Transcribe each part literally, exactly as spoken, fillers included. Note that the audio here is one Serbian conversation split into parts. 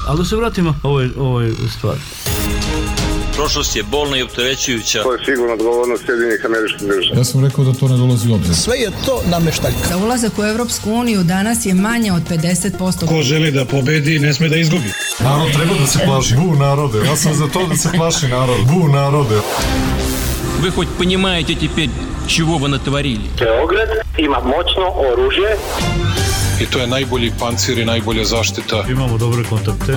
Ali da se vratimo ovoj, ovoj stvari. Prošlost je bolna i opterećujuća. To je sigurno odgovornost Sjedinjenih Američkih Država. Ja sam rekao da to ne dolazi u obzir. Sve je to nameštaljka. Da ulazak u Evropsku uniju danas je manje od pedeset posto. Ko želi da pobedi, ne sme da izgubi. Narod treba da se plaši. Bu narode. Ja sam za to da se plaši narod. Bu narode. Вы хоть понимаете теперь, чего вы натворили? Beograd ima moćno oružje. I to je najbolji pancir i najbolja zaštita. Imamo dobre kontakte.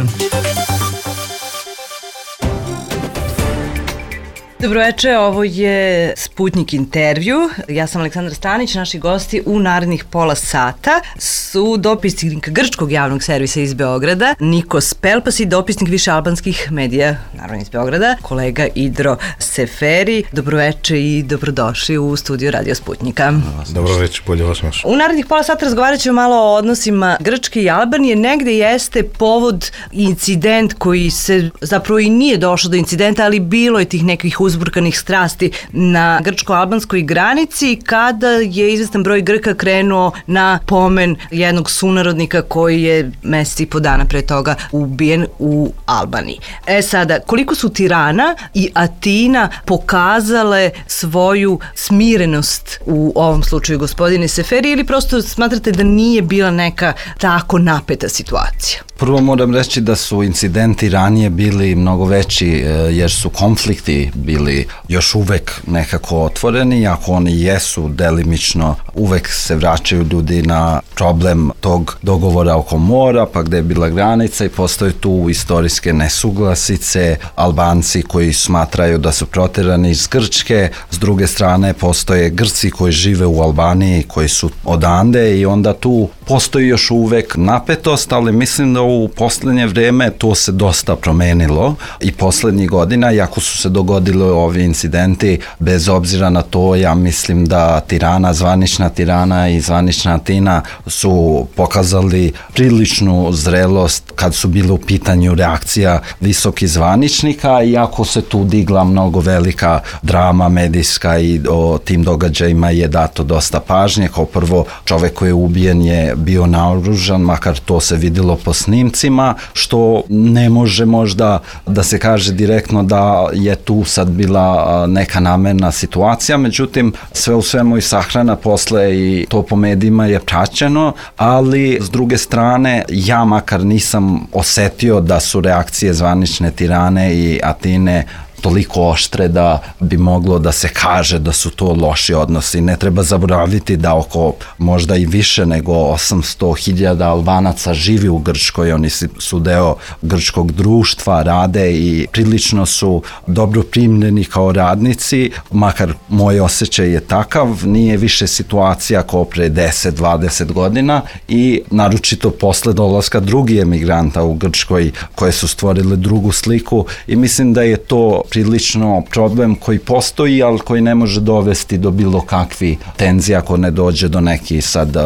Dobroveče, ovo je Sputnik intervju. Ja sam Aleksandra Stanić, naši gosti u narednih pola sata su dopisnik Grčkog javnog servisa iz Beograda, Nikos Pelpas i dopisnik više albanskih medija, naravno iz Beograda, kolega Idro Seferi. Dobroveče i dobrodošli u studio Radio Sputnika. Dobroveče, bolje vas naš. U narednih pola sata razgovarat ćemo malo o odnosima Grčke i Albanije. Negde jeste povod incident koji se zapravo i nije došlo do incidenta, ali bilo je tih nekih uzburkanih strasti na grčko-albanskoj granici kada je izvestan broj Grka krenuo na pomen jednog sunarodnika koji je mesec i po dana pre toga ubijen u Albaniji. E sada, koliko su Tirana i Atina pokazale svoju smirenost u ovom slučaju, gospodine Seferi, ili prosto smatrate da nije bila neka tako napeta situacija? Prvo moram reći da su incidenti ranije bili mnogo veći jer su konflikti bili još uvek nekako otvoreni, ako oni jesu delimično, uvek se vraćaju ljudi na problem tog dogovora oko mora, pa gde je bila granica i postoje tu istorijske nesuglasice, Albanci koji smatraju da su proterani iz Grčke, s druge strane postoje Grci koji žive u Albaniji, koji su odande i onda tu postoji još uvek napetost, ali mislim da u poslednje vreme to se dosta promenilo i poslednjih godina, iako su se dogodili ovi incidenti, bez obzira na to, ja mislim da Tirana, zvanična Tirana i zvanična Atina su pokazali priličnu zrelost kad su bile u pitanju reakcija visokih zvaničnika, iako se tu digla mnogo velika drama medijska i o tim događajima je dato dosta pažnje. Kao prvo, čovek koji je ubijen je bio naoružan, makar to se videlo po snimcima, što ne može možda da se kaže direktno da je tu sad bila neka namerna situacija, međutim sve u svemu i sahrana posle i to po medijima je praćeno, ali s druge strane ja makar nisam osetio da su reakcije zvanične Tirane i Atine toliko oštre da bi moglo da se kaže da su to loši odnosi. Ne treba zaboraviti da oko možda i više nego osamsto hiljada Albanaca živi u Grčkoj, oni su deo grčkog društva, rade i prilično su dobro primljeni kao radnici, makar moj osjećaj je takav, nije više situacija kao pre deset dvadeset godina i naročito posle dolaska drugih emigranta u Grčkoj koje su stvorile drugu sliku i mislim da je to prilično problem koji postoji, ali koji ne može dovesti do bilo kakvi tenzija ako ne dođe do nekih sad uh,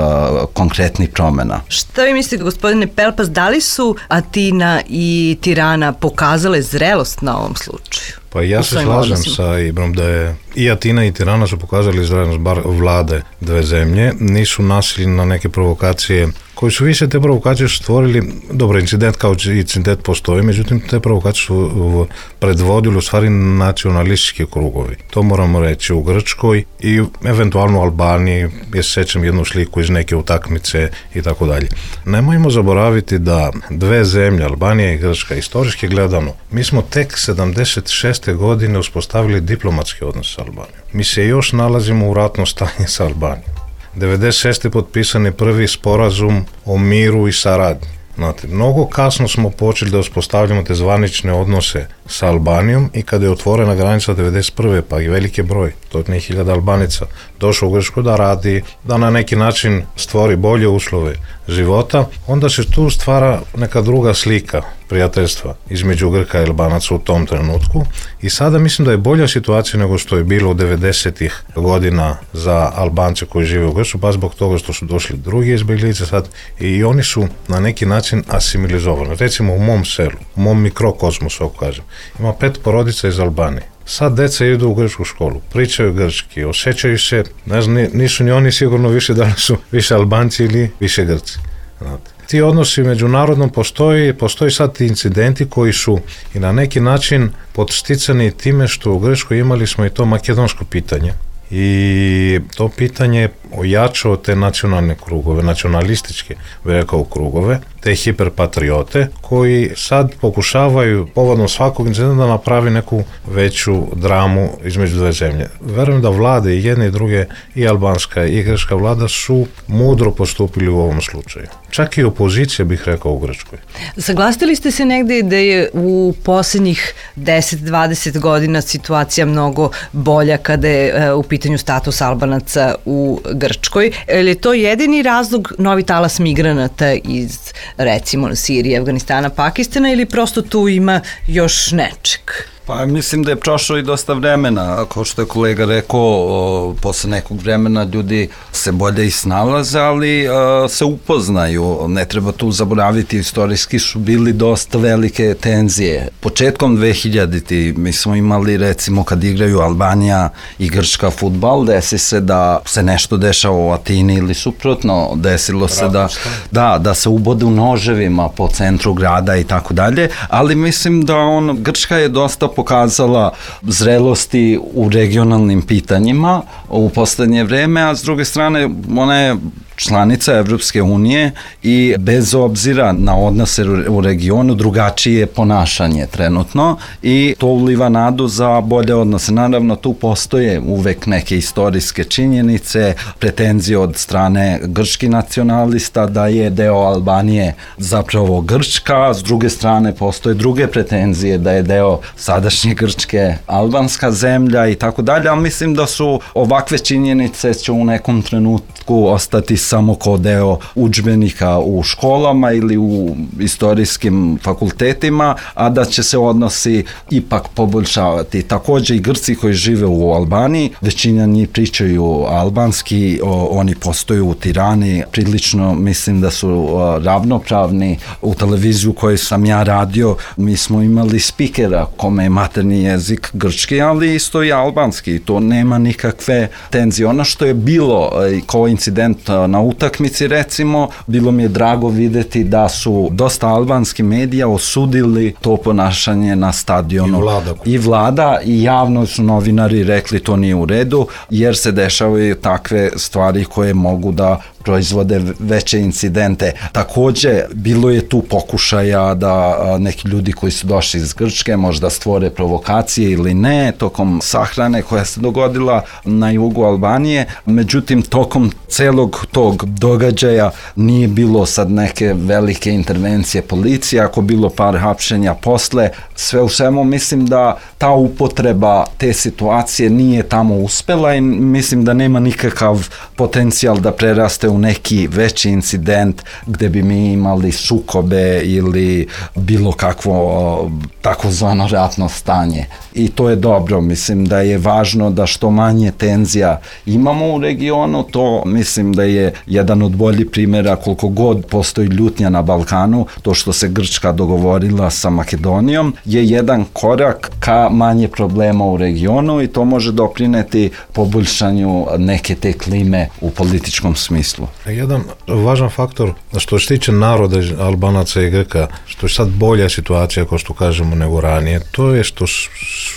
konkretnih promena. Šta vi mislite, gospodine Pelpas, da li su Atina i Tirana pokazale zrelost na ovom slučaju? Pa ja se slažem sa Ibrom da je i Atina i Tirana su pokazali zrelost, bar vlade dve zemlje, nisu nasili na neke provokacije koji su više te provokacije stvorili, dobro, incident kao incident postoji, međutim te provokacije su predvodili u stvari nacionalistički krugovi. To moramo reći u Grčkoj i eventualno u Albaniji, ja se sećam jednu sliku iz neke utakmice i tako dalje. Nemojmo zaboraviti da dve zemlje, Albanija i Grčka, istorijski gledano, mi smo tek sedamdeset šeste godine uspostavili diplomatski odnos sa Albanijom. Mi se još nalazimo u ratnom stanju sa Albanijom. devedeset šeste potpisan je prvi sporazum o miru i saradnji. Znate, mnogo kasno smo počeli da uspostavljamo te zvanične odnose sa Albanijom i kada je otvorena granica devedeset prve pa i velike broj, stotine hiljada Albanica, došao u Grčku da radi, da na neki način stvori bolje uslove života, onda se tu stvara neka druga slika prijateljstva između Grka i Albanaca u tom trenutku i sada mislim da je bolja situacija nego što je bilo u devedesetih godina za Albance koji žive u Grčku, pa zbog toga što su došli drugi izbjeglice sad i oni su na neki način asimilizovani. Recimo u mom selu, u mom mikrokosmosu, ako kažem, ima pet porodica iz Albanije. Sad deca idu u grčku školu, pričaju grčki, osjećaju se, ne znam, nisu ni oni sigurno više da li su više Albanci ili više Grci. Znate. ti odnosi međunarodno postoji, postoji sad ti incidenti koji su i na neki način podsticani time što u Grčkoj imali smo i to makedonsko pitanje. I to pitanje ojačao te nacionalne krugove, nacionalističke, bi rekao, krugove, te hiperpatriote koji sad pokušavaju povodom svakog incidenta da napravi neku veću dramu između dve zemlje. Verujem da vlade i jedne i druge, i albanska i grčka vlada su mudro postupili u ovom slučaju. Čak i opozicija, bih rekao, u Grčkoj. Saglasili ste se negde da je u posljednjih deset do dvadeset godina situacija mnogo bolja kada je u pitanju status Albanaca u Grčkoj. Je li to jedini razlog novi talas migranata iz, recimo, Sirije, Afganistana, Pakistana, ili prosto tu ima još nečeg? Pa mislim da je prošlo i dosta vremena, kao što je kolega rekao, o, posle nekog vremena ljudi se bolje i snalaze, ali o, se upoznaju, ne treba tu zaboraviti, istorijski su bili dosta velike tenzije. Početkom dve hiljaditih mi smo imali, recimo, kad igraju Albanija i Grčka fudbal, desi se da se nešto dešava u Atini ili suprotno, desilo se da, da, da se ubode u noževima po centru grada i tako dalje, ali mislim da on, Grčka je dosta pokazala zrelosti u regionalnim pitanjima u poslednje vreme, a s druge strane ona je članica Evropske unije i bez obzira na odnose u regionu drugačije ponašanje trenutno i to uliva nadu za bolje odnose. Naravno, tu postoje uvek neke istorijske činjenice, pretenzije od strane grčkih nacionalista da je deo Albanije zapravo Grčka, s druge strane postoje druge pretenzije da je deo sadašnje Grčke albanska zemlja i tako dalje, ali mislim da su ovakve činjenice će u nekom trenutku ostati samo kao deo udžbenika u školama ili u istorijskim fakultetima, a da će se odnosi ipak poboljšavati. Takođe i Grci koji žive u Albaniji, većina njih pričaju albanski, o, oni postoju u Tirani, prilično mislim da su o, ravnopravni. U televiziju koju sam ja radio, mi smo imali spikera kome je materni jezik grčki, ali isto i albanski, to nema nikakve tenzije. Ono što je bilo kao incident na utakmici, recimo, bilo mi je drago videti da su dosta albanski medija osudili to ponašanje na stadionu. I vlada. I vlada i javno su novinari rekli to nije u redu, jer se dešavaju takve stvari koje mogu da proizvode veće incidente. Takođe, bilo je tu pokušaja da neki ljudi koji su došli iz Grčke možda stvore provokacije ili ne, tokom sahrane koja se dogodila na jugu Albanije. Međutim, tokom celog tog događaja nije bilo sad neke velike intervencije policije, ako bilo par hapšenja posle. Sve u svemu mislim da ta upotreba te situacije nije tamo uspela i mislim da nema nikakav potencijal da preraste u neki veći incident gde bi mi imali sukobe ili bilo kakvo takozvano ratno stanje. I to je dobro, mislim da je važno da što manje tenzija imamo u regionu, to mislim da je jedan od boljih primjera koliko god postoji ljutnja na Balkanu, to što se Grčka dogovorila sa Makedonijom je jedan korak ka manje problema u regionu i to može doprineti poboljšanju neke te klime u političkom smislu. Jedan važan faktor što se tiče naroda Albanaca i Grka, što je sad bolja situacija, kao što kažemo, nego ranije, to je što su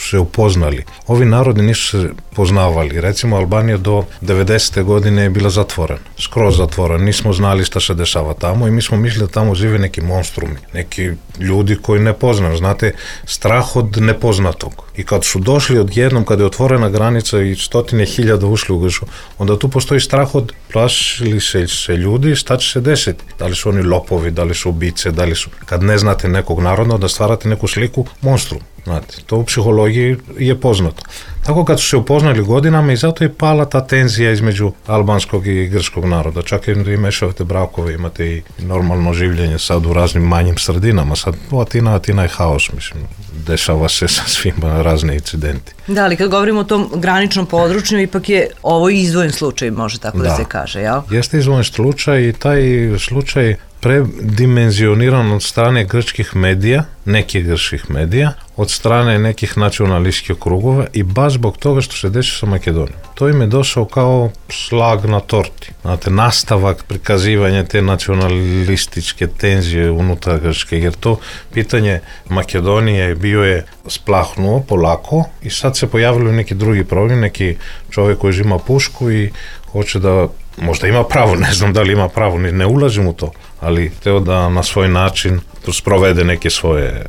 se upoznali. Ovi narodi nisu se poznavali. Recimo, Albanija do devedesete godine je bila zatvorena, skroz zatvorena. Nismo znali šta se dešava tamo i mi smo mislili da tamo žive neki monstrumi, neki ljudi koji ne poznaju. Znate, strah od nepoznatog. I kad su došli odjednom, kada je otvorena granica i stotine hiljada ušli u Grčku, onda tu postoji strah od, plašili se, se ljudi, šta će se desiti? Da li su oni lopovi, da li su ubice, da li su... Kad ne znate nekog naroda, da stvarate neku sliku monstrum. Znate, to u psihologiji je poznato. Tako kad su se upoznali godinama i zato je pala ta tenzija između albanskog i grčkog naroda. Čak i mešavate brakove, imate i normalno življenje sad u raznim manjim sredinama. Sad u Atina, Atina je haos, mislim. Dešava se sa svima razne incidenti. Da, ali kad govorimo o tom graničnom području, ipak je ovo izdvojen slučaj, može tako da, da se kaže, jel? Jeste izdvojen slučaj i taj slučaj predimenzioniran od strane grčkih medija, nekih grčkih medija, od strane nekih nacionalističkih krugova i baš zbog toga što se desi sa Makedonijom. To im je došao kao šlag na torti. Znate, nastavak prikazivanja te nacionalističke tenzije unutar Grčke, jer to pitanje Makedonije bio je splahnuo polako i sad se pojavili neki drugi problem, neki čovjek koji ima pušku i hoće da, možda ima pravo, ne znam da li ima pravo, ne ulazim u to, ali teo da na svoj način sprovede neke svoje,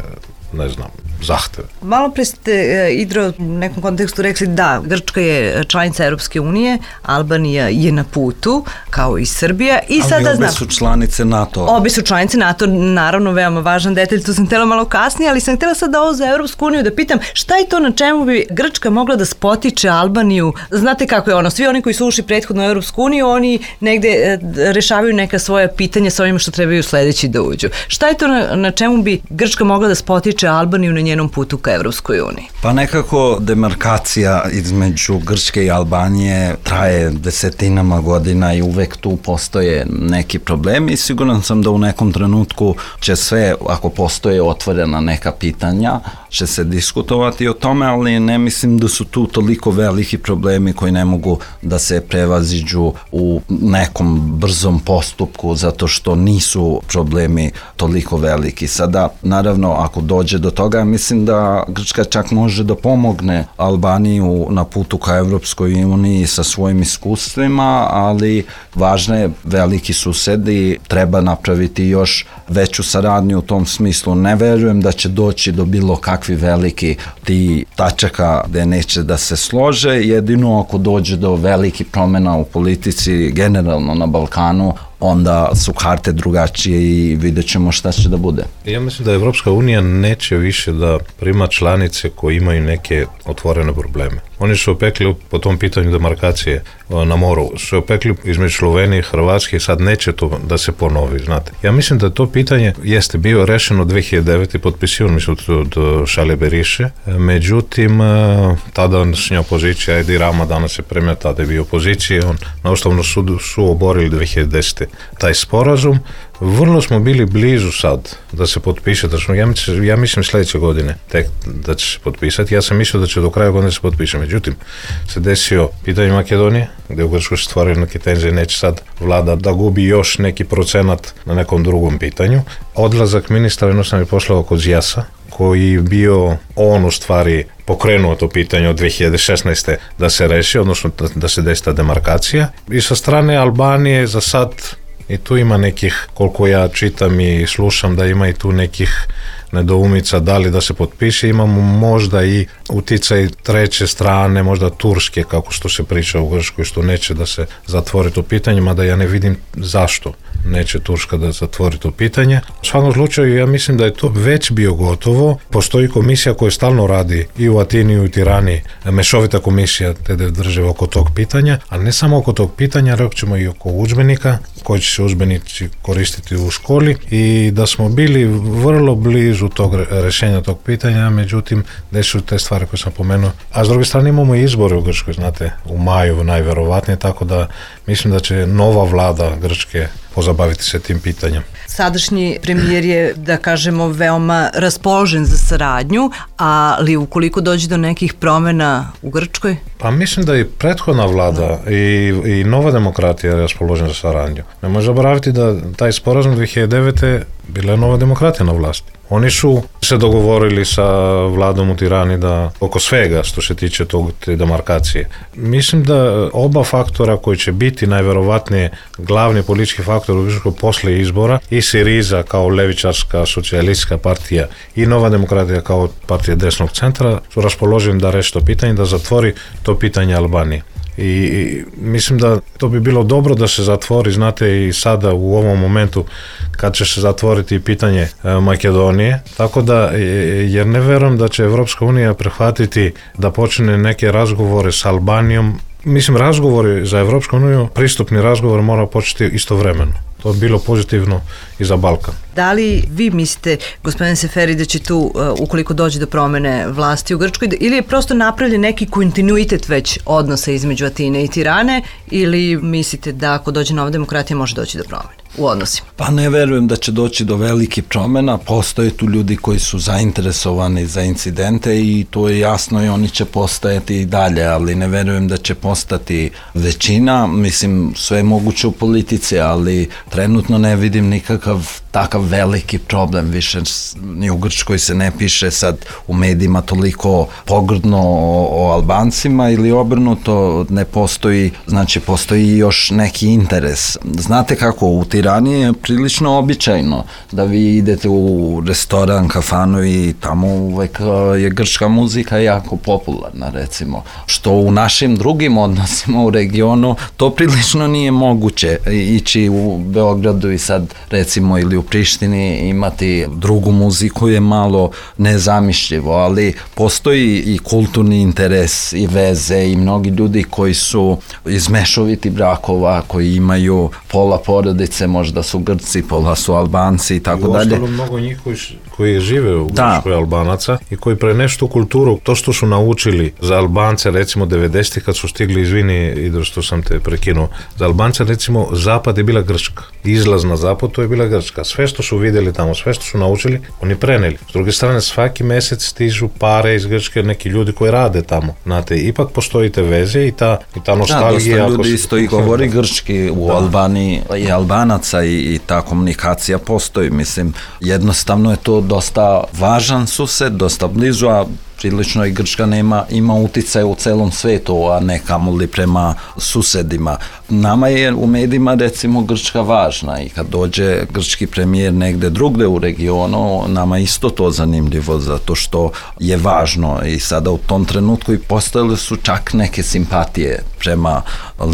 ne znam, zahteve. Malo pre ste, Idro, u nekom kontekstu rekli da Grčka je članica Europske unije, Albanija je na putu, kao i Srbija. I ali sada obe znam, su članice NATO. Obe su članice NATO, naravno veoma važan detalj, to sam htjela malo kasnije, ali sam htjela sad da ovo za Europsku uniju da pitam šta je to na čemu bi Grčka mogla da spotiče Albaniju. Znate kako je ono, svi oni koji su ušli prethodno u Europsku uniju, oni negde rešavaju neka svoja pitanja sa ovima što trebaju sledeći da uđu. Šta je to na, na čemu bi Grčka mogla da spotiče Albaniju na njenom putu ka Evropskoj uniji? Pa nekako demarkacija između Grčke i Albanije traje desetinama godina i uvek tu postoje neki problemi i siguran sam da u nekom trenutku će sve, ako postoje otvorena neka pitanja, će se diskutovati o tome, ali ne mislim da su tu toliko veliki problemi koji ne mogu da se prevaziđu u nekom brzom postupku zato što nisu problemi toliko veliki. Sada, naravno, ako dođe do toga, mislim da Grčka čak može da pomogne Albaniju na putu ka Evropskoj uniji sa svojim iskustvima, ali važno je veliki susedi, treba napraviti još veću saradnju u tom smislu. Ne verujem da će doći do bilo kakvi veliki ti tačaka gde neće da se slože, jedino ako dođe do veliki promjena u politici generalno na Balkanu, onda su karte drugačije i vidjet ćemo šta će da bude. Ja mislim da Evropska unija neće više da prima članice koje imaju neke otvorene probleme. Oni su opekli po tom pitanju demarkacije na moru, su opekli između Slovenije i Hrvatske i sad neće to da se ponovi, znate. Ja mislim da to pitanje jeste bio rešeno dve hiljade devete. potpisivan mislim od Šalje Beriše, međutim tadašnja opozicija, Edi Rama danas je premijer, tada je bio opozicije, on na Ustavnom sudu su oborili dve hiljade desete. taj sporazum. Vrlo smo bili blizu sad da se potpiše, da smo, ja, mislim, ja mislim sljedeće godine tek da će se potpisati. Ja sam mislio da će do kraja godine se potpiše. Međutim, se desio pitanje Makedonije, gdje u Grčkoj se stvaraju neke tenzije, neće sad vlada da gubi još neki procenat na nekom drugom pitanju. Odlazak ministra jednostavno je poslao kod Zijasa, koji je bio on u stvari pokrenuo to pitanje od dve hiljade šesnaeste. da se reši, odnosno da, da se desi ta demarkacija. I sa strane Albanije za sad i tu ima nekih, koliko ja čitam i slušam, da ima i tu nekih nedoumica da li da se potpiše. Imamo možda i uticaj treće strane, možda turske, kako što se priča u Grčkoj, što neće da se zatvori to pitanje, mada ja ne vidim zašto neće Turska da zatvori to pitanje. U svakom slučaju ja mislim da je to već bio gotovo. Postoji komisija koja stalno radi i u Atini i u Tirani, mešovita komisija te države oko tog pitanja, a ne samo oko tog pitanja, rekli ćemo i oko udžbenika, koji će se udžbenici koristiti u školi, i da smo bili vrlo blizu tog rešenja tog pitanja, međutim desili te stvari koje sam pomenuo. A s druge strane imamo i izbore u Grčkoj, znate, u maju najverovatnije, tako da mislim da će nova vlada Grčke pozabaviti se tim pitanjem. Sadašnji premijer je, da kažemo, veoma raspoložen za saradnju, ali ukoliko dođe do nekih promjena u Grčkoj? Pa mislim da i prethodna vlada i, i nova demokratija je raspoložena za saradnju. Ne može zaboraviti da taj sporazum dve hiljade devete. bila je nova demokratija na vlasti. Oni su se dogovorili sa vladom u Tirani da oko svega što se tiče tog, te demarkacije. Mislim da oba faktora koji će biti najverovatnije glavni politički faktor u Grčkoj posle izbora, i Siriza kao levičarska socijalistička partija i Nova demokratija kao partija desnog centra, su raspoloženi da reši to pitanje, da zatvori to pitanje Albanije. I, i mislim da to bi bilo dobro da se zatvori, znate, i sada u ovom momentu kad će se zatvoriti pitanje e, Makedonije, tako da, jer ne verujem da će Evropska unija prihvatiti da počne neke razgovore s Albanijom. Mislim, razgovori za Evropsku uniju, pristupni razgovor mora početi istovremeno. To je bilo pozitivno i za Balkan. Da li vi mislite, gospodine Seferi, da će tu, ukoliko dođe do promene vlasti u Grčkoj, ili je prosto napravljen neki kontinuitet već odnosa između Atine i Tirane, ili mislite da ako dođe nova demokratija može doći do promene? u odnosima? Pa ne verujem da će doći do velikih promjena, postoje tu ljudi koji su zainteresovani za incidente i to je jasno i oni će postajati i dalje, ali ne verujem da će postati većina, mislim sve je moguće u politici, ali trenutno ne vidim nikakav takav veliki problem, više ni u Grčkoj se ne piše sad u medijima toliko pogrdno o, o Albancima ili obrnuto, ne postoji, znači postoji još neki interes. Znate kako, u Tirani je prilično običajno da vi idete u restoran, kafanu i tamo uvek je grčka muzika jako popularna, recimo, što u našim drugim odnosima u regionu to prilično nije moguće ići u Beogradu i sad recimo ili u Prištini imati drugu muziku je malo nezamišljivo, ali postoji i kulturni interes i veze i mnogi ljudi koji su iz mešovitih brakova, koji imaju pola porodice, možda su Grci, pola su Albanci i tako dalje. I ostalo mnogo njih koji, koji žive u Grčkoj, Albanaca, i koji preneštu kulturu, to što su naučili za Albance, recimo devedesetih kad su stigli, izvini Idro što sam te prekinuo, za Albance recimo zapad je bila Grčka, izlaz na zapad to je bila Grčka, sve što su vidjeli tamo, sve što su naučili, oni preneli. S druge strane, svaki mjesec stižu pare iz Grčke, neki ljudi koji rade tamo, znate, ipak postoji te veze i ta, i ta nostalgija. Da, dosta ljudi isto i govori grčki u da. Albaniji i Albanaca i, i ta komunikacija postoji, mislim, jednostavno je to dosta važan sused, dosta blizu, a prilično i Grčka nema, ima uticaj u celom svetu, a ne kamoli prema susedima. Nama je u medijima recimo Grčka važna i kad dođe grčki premijer negde drugde u regionu, nama isto to zanimljivo zato što je važno i sada u tom trenutku i postojale su čak neke simpatije prema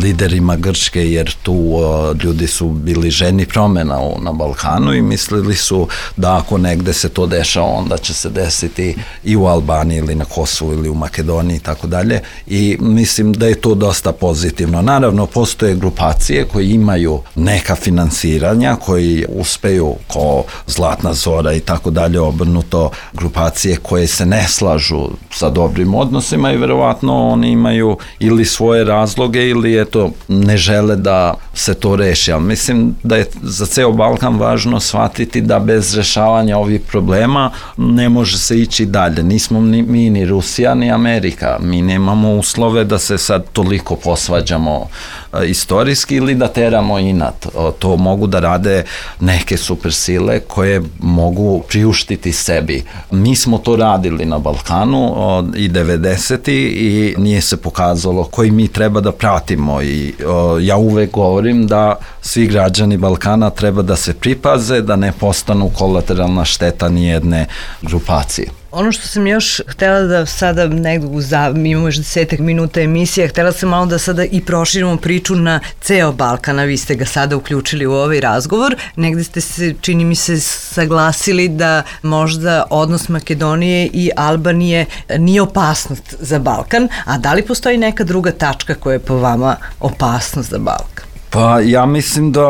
liderima Grčke jer tu uh, ljudi su bili ženi promjena u, na Balkanu i mislili su da ako negde se to dešava onda će se desiti i u Albaniji ili na Kosovu ili u Makedoniji i tako dalje i mislim da je to dosta pozitivno. Naravno, postoje grupacije koji imaju neka finansiranja, koji uspeju ko Zlatna Zora i tako dalje, obrnuto grupacije koje se ne slažu sa dobrim odnosima i verovatno oni imaju ili svoje razloge ili eto ne žele da se to reši, ali mislim da je za ceo Balkan važno shvatiti da bez rešavanja ovih problema ne može se ići dalje. Nismo ni mi ni Rusija ni Amerika, mi nemamo uslove da se sad toliko posvađamo e, istorijski ili da teramo inat. O, to mogu da rade neke supersile koje mogu priuštiti sebi. Mi smo to radili na Balkanu o, i devedeseti i nije se pokazalo koji mi treba da pratimo i o, ja uvek govorim da svi građani Balkana treba da se pripaze, da ne postanu kolateralna šteta nijedne grupacije. Ono što sam još htjela da sada negdje u zav... mi imamo još desetak minuta emisije, htjela sam malo da sada i proširimo priču na ceo Balkan, a vi ste ga sada uključili u ovaj razgovor. Negdje ste se, čini mi se, saglasili da možda odnos Makedonije i Albanije nije opasnost za Balkan, a da li postoji neka druga tačka koja je po vama opasnost za Balkan? Pa ja mislim da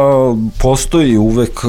postoji uvek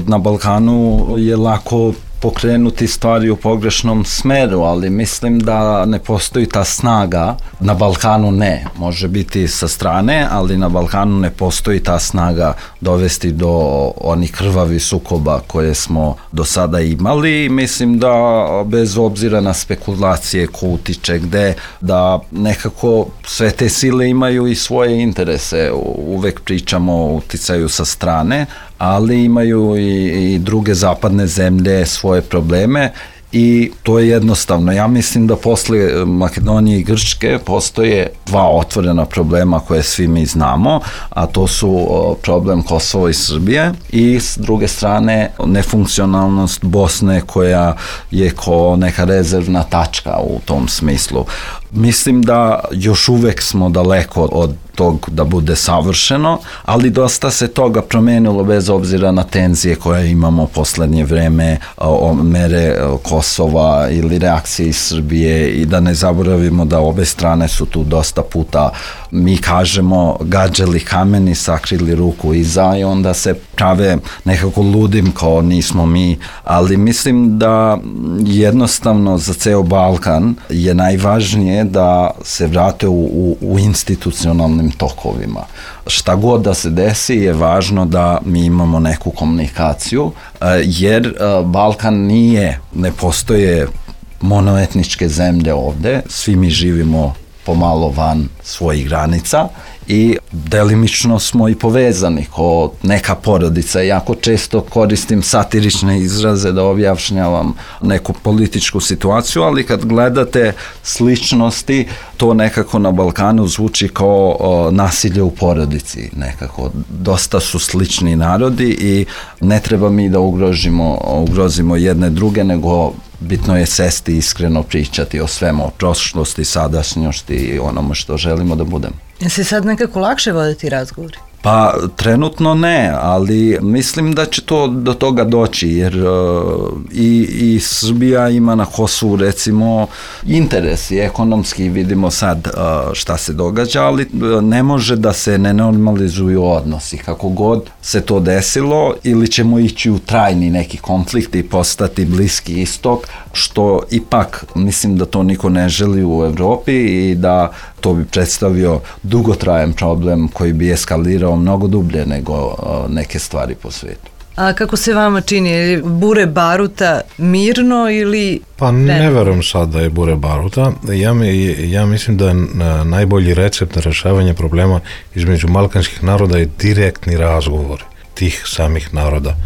na Balkanu je lako pokrenuti stvari u pogrešnom smeru, ali mislim da ne postoji ta snaga, na Balkanu ne, može biti sa strane, ali na Balkanu ne postoji ta snaga dovesti do onih krvavih sukoba koje smo do sada imali i mislim da bez obzira na spekulacije ko utiče gde, da nekako sve te sile imaju i svoje interese, uvek pričamo o uticaju sa strane, ali imaju i, i druge zapadne zemlje svoje probleme i to je jednostavno. Ja mislim da posle Makedonije i Grčke postoje dva otvorena problema koje svi mi znamo, a to su problem Kosova i Srbije i s druge strane nefunkcionalnost Bosne koja je ko neka rezervna tačka u tom smislu. Mislim da još uvek smo daleko od tog da bude savršeno, ali dosta se toga promenilo bez obzira na tenzije koje imamo poslednje vreme, o mere Kosova ili reakcije iz Srbije i da ne zaboravimo da obe strane su tu dosta puta mi kažemo gađali kameni, sakrili ruku iza i onda se prave nekako ludim kao nismo mi, ali mislim da jednostavno za ceo Balkan je najvažnije da se vrate u, u, u institucionalnim tokovima. Šta god da se desi je važno da mi imamo neku komunikaciju, jer Balkan nije, ne postoje monoetničke zemlje ovde, svi mi živimo pomalo van svojih granica i delimično smo i povezani kao neka porodica. Jako često koristim satirične izraze da objašnjavam neku političku situaciju, ali kad gledate sličnosti, to nekako na Balkanu zvuči kao o, nasilje u porodici. Nekako dosta su slični narodi i ne treba mi da ugrožimo, ugrozimo jedne druge, nego bitno je sesti i iskreno pričati o svemu, o prošlosti, sadašnjosti i onome što želimo da budemo. Je se sad nekako lakše voditi razgovori? Pa trenutno ne, ali mislim da će to do toga doći, jer uh, i, i Srbija ima na Kosovu recimo interes i ekonomski, vidimo sad uh, šta se događa, ali uh, ne može da se ne normalizuju odnosi. Kako god se to desilo, ili ćemo ići u trajni neki konflikt i postati Bliski istok, što ipak mislim da to niko ne želi u Evropi i da to bi predstavio dugotrajan problem koji bi eskalirao mnogo dublje nego uh, neke stvari po svijetu. A kako se vama čini, bure baruta mirno ili... Pa ne, ne verujem sad da je bure baruta. Ja, mi, ja mislim da je najbolji recept na rešavanje problema između balkanskih naroda je direktni razgovor tih samih naroda,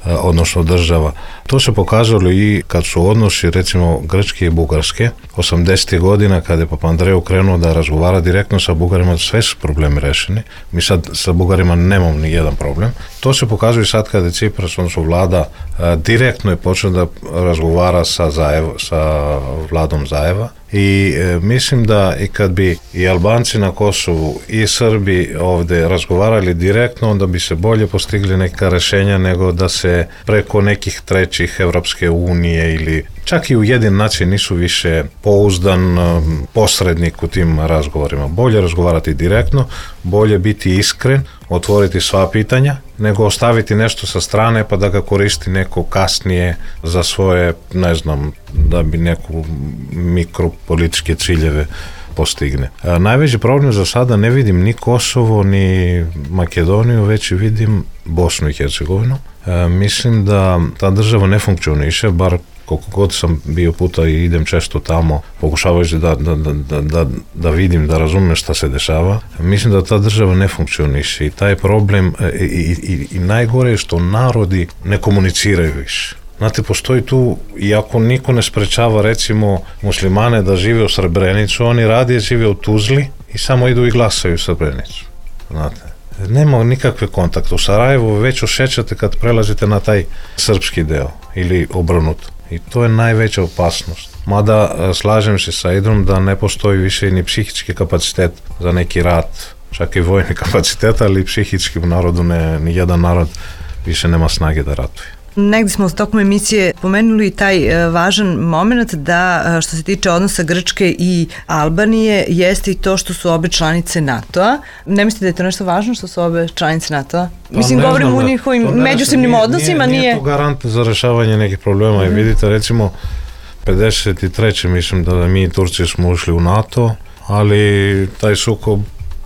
odnosno država. To se pokazalo i kad su odnosi recimo Grčke i Bugarske osamdesetih godina, kada je Papandreou krenuo da razgovara direktno sa Bugarima, sve su problemi rešeni. Mi sad sa Bugarima nemamo ni jedan problem. To se pokazuje sad kada je Cipras, odnosno vlada, direktno je počeo da razgovara sa, Zajev, sa vladom Zajeva i e, mislim da i kad bi i Albanci na Kosovu i Srbi ovde razgovarali direktno, onda bi se bolje postigli neka rešenja nego da se preko nekih trećih Evropske unije ili čak i Ujedinjene nacije nisu više pouzdan um, posrednik u tim razgovorima. Bolje razgovarati direktno, bolje biti iskren, otvoriti sva pitanja, nego ostaviti nešto sa strane pa da ga koristi neko kasnije za svoje, ne znam, da bi neku mikropolitičke ciljeve postigne. A najveći problem za sada ne vidim ni Kosovo, ni Makedoniju, već vidim Bosnu i Hercegovinu. A, mislim da ta država ne funkcioniše, bar koliko god sam bio puta i idem često tamo, pokušavajući da, da, da, da, da vidim, da razumem šta se dešava. Mislim da ta država ne funkcioniše i taj problem, i, i, i najgore je što narodi ne komuniciraju više. Znate, postoji tu, iako niko ne sprečava recimo muslimane da žive u Srebrenicu, oni radije žive u Tuzli i samo idu i glasaju u Srebrenicu. Znate, nema nikakve kontakte. U Sarajevu već osjećate kad prelazite na taj srpski deo ili obrnuto. I to je najveća opasnost. Mada slažem se sa Idrom da ne postoji više ni psihički kapacitet za neki rat, čak i vojni kapacitet, ali psihički u narodu ne, ni jedan narod više nema snage da ratuje. Negdje smo tokom emisije pomenuli taj e, važan moment da e, što se tiče odnosa Grčke i Albanije jeste i to što su obe članice NATO-a. Ne mislite da je to nešto važno što su obe članice NATO-a? Pa mislim, govorimo o njihovim međusobnim odnosima. Nije, nije to garant za rešavanje nekih problema. Mm-hmm. I vidite, recimo, pedeset treće mislim da mi i Turci smo ušli u NATO, ali taj sukob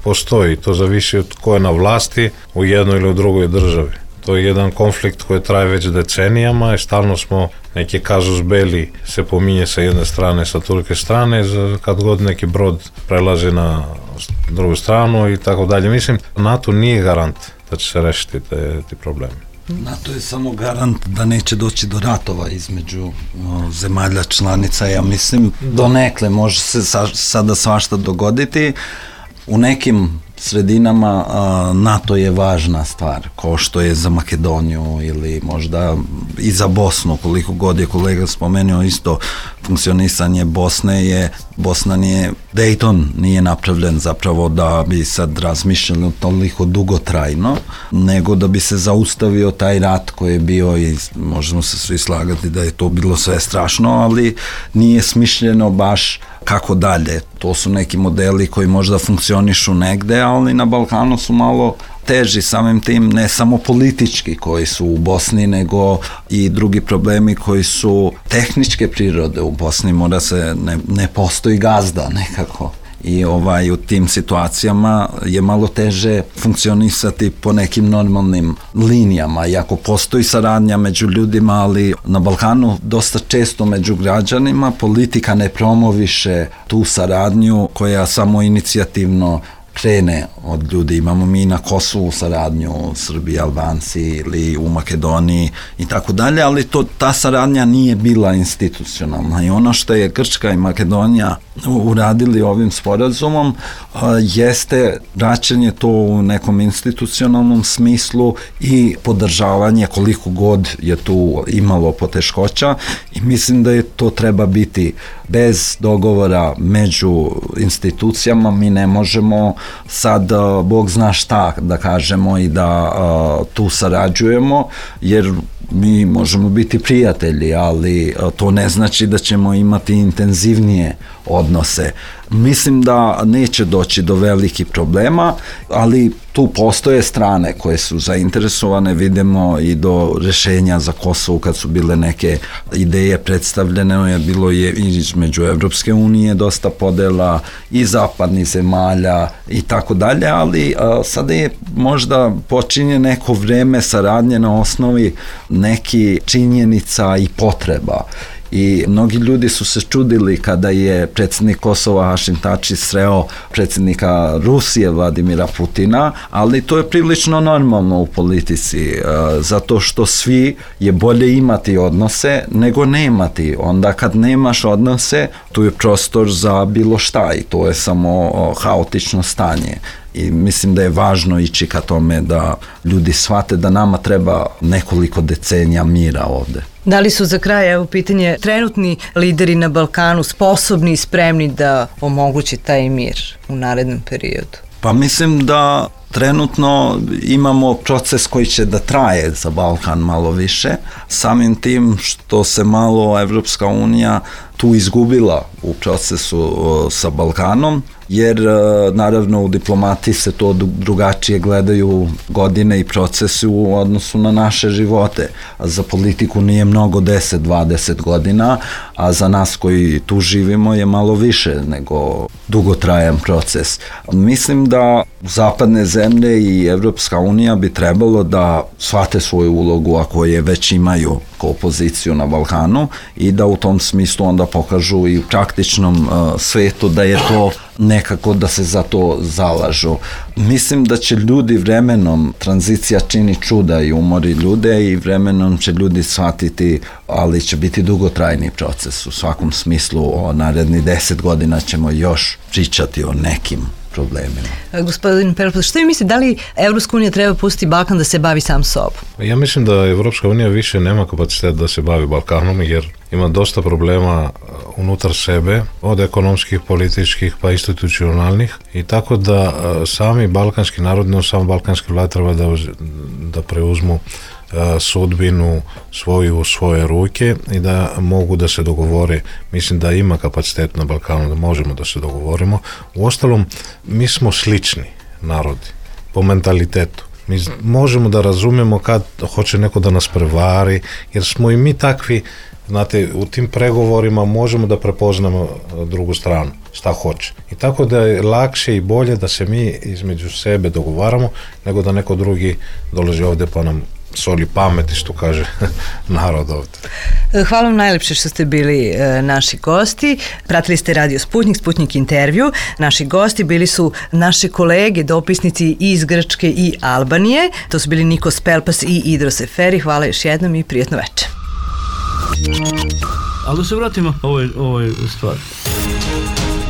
postoji. To zavisi od ko je na vlasti u jednoj ili u drugoj državi. To je jedan konflikt koji traje već decenijama i stalno smo neki kazus belli se pominje sa jedne strane, sa turke strane, kad god neki brod prelazi na drugu stranu i tako dalje. Mislim, NATO nije garant da će se rešiti te, te probleme. NATO je samo garant da neće doći do ratova između o, zemalja članica. Ja mislim, donekle može se sa, sada svašta dogoditi. U nekim sredinama a, NATO je važna stvar, kao što je za Makedoniju ili možda i za Bosnu, koliko god je kolega spomenuo isto funkcionisanje Bosne je, Bosna nije, Dayton nije napravljen zapravo da bi sad razmišljali toliko dugotrajno, nego da bi se zaustavio taj rat koji je bio i možemo se svi slagati da je to bilo sve strašno, ali nije smišljeno baš kako dalje. To su neki modeli koji možda funkcionišu negde, ali na Balkanu su malo teži samim tim, ne samo politički koji su u Bosni, nego i drugi problemi koji su tehničke prirode u Bosni. Mora se, ne, ne postoji gazda nekako. I ovaj, u tim situacijama je malo teže funkcionisati po nekim normalnim linijama, iako postoji saradnja među ljudima, ali na Balkanu dosta često među građanima politika ne promoviše tu saradnju koja samo inicijativno krene od ljudi. Imamo mi na Kosovu saradnju, Srbi, Albanci ili u Makedoniji i tako dalje, ali to, ta saradnja nije bila institucionalna i ono što je Grčka i Makedonija uradili ovim sporazumom jeste vraćanje to u nekom institucionalnom smislu i podržavanje koliko god je tu imalo poteškoća i mislim da je to treba biti bez dogovora među institucijama. Mi ne možemo sad Bog zna šta da kažemo i da uh, tu sarađujemo, jer mi možemo biti prijatelji, ali to ne znači da ćemo imati intenzivnije odnose. Mislim da neće doći do velikih problema, ali tu postoje strane koje su zainteresovane, vidimo i do rešenja za Kosovo kad su bile neke ideje predstavljene, je bilo je između Evropske unije dosta podela i zapadnih zemalja i tako dalje, ali a, sada je možda počinje neko vreme saradnje na osnovi neki činjenica i potreba. I mnogi ljudi su se čudili kada je predsjednik Kosova Hašim Tači sreo predsjednika Rusije Vladimira Putina, ali to je prilično normalno u politici, zato što svi je bolje imati odnose nego nemati. Onda kad nemaš odnose, tu je prostor za bilo šta i to je samo haotično stanje. I mislim da je važno ići ka tome da ljudi shvate da nama treba nekoliko decenija mira ovde. Da li su za kraj, evo pitanje, trenutni lideri na Balkanu sposobni i spremni da omogući taj mir u narednom periodu? Pa mislim da trenutno imamo proces koji će da traje za Balkan malo više, samim tim što se malo Evropska unija tu izgubila u procesu sa Balkanom, jer naravno u diplomatiji se to drugačije gledaju godine i procesi u odnosu na naše živote. A za politiku nije mnogo deset do dvadeset godina, a za nas koji tu živimo je malo više nego dugotrajan proces. Mislim da zapadne zemlje i Evropska unija bi trebalo da shvate svoju ulogu ako je već imaju kao poziciju na Balkanu i da u tom smislu onda pokažu i u praktičnom uh, svetu da je to nekako da se za to zalažu. Mislim da će ljudi vremenom, tranzicija čini čuda i umori ljude i vremenom će ljudi shvatiti, ali će biti dugotrajni proces. U svakom smislu o naredni deset godina ćemo još pričati o nekim problemima. Gospodin Perpus, što vi mislite, da li Evropska unija treba pustiti Balkan da se bavi sam sobom? Ja mislim da Evropska unija više nema kapacitet da se bavi Balkanom, jer ima dosta problema unutar sebe, od ekonomskih, političkih pa institucionalnih, i tako da sami balkanski narod, no samo balkanski vlad treba da, da preuzmu sudbinu svoju u svoje ruke i da mogu da se dogovore. Mislim da ima kapacitet na Balkanu da možemo da se dogovorimo. Uostalom, mi smo slični narodi po mentalitetu. Mi možemo da razumemo kad hoće neko da nas prevari, jer smo i mi takvi, znate, u tim pregovorima možemo da prepoznamo drugu stranu, šta hoće. I tako da je lakše i bolje da se mi između sebe dogovaramo, nego da neko drugi dolazi ovde pa nam soli pameti, što kaže narod ovde. Hvala vam najlepše što ste bili e, naši gosti. Pratili ste Radio Sputnik, Sputnik intervju. Naši gosti bili su naše kolege, dopisnici iz Grčke i Albanije. To su bili Nikos Pelpas i Idros Eferi. Hvala još jednom i prijetno večer. Ali da se vratimo ovoj, ovoj stvari.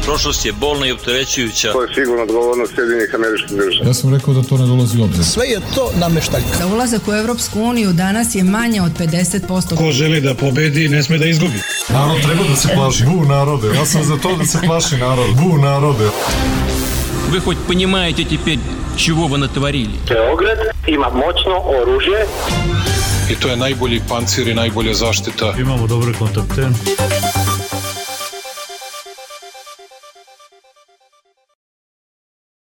Prošlost je bolna i opterećujuća. To je sigurno odgovornost Sjedinjenih Američkih Država. Ja sam rekao da to ne dolazi u obzir. Sve je to nameštaljka. Za ulazak u Evropsku uniju danas je manje od pedeset posto. Ko želi da pobedi, ne sme da izgubi. Narod treba da se plaši. Bu narode, ja sam za to da se plaši narod. Bu narode. Вы хоть понимаете теперь, чего вы натворили? Beograd ima moćno oružje. I to je najbolji pancir i najbolja zaštita. Imamo dobre kontakte.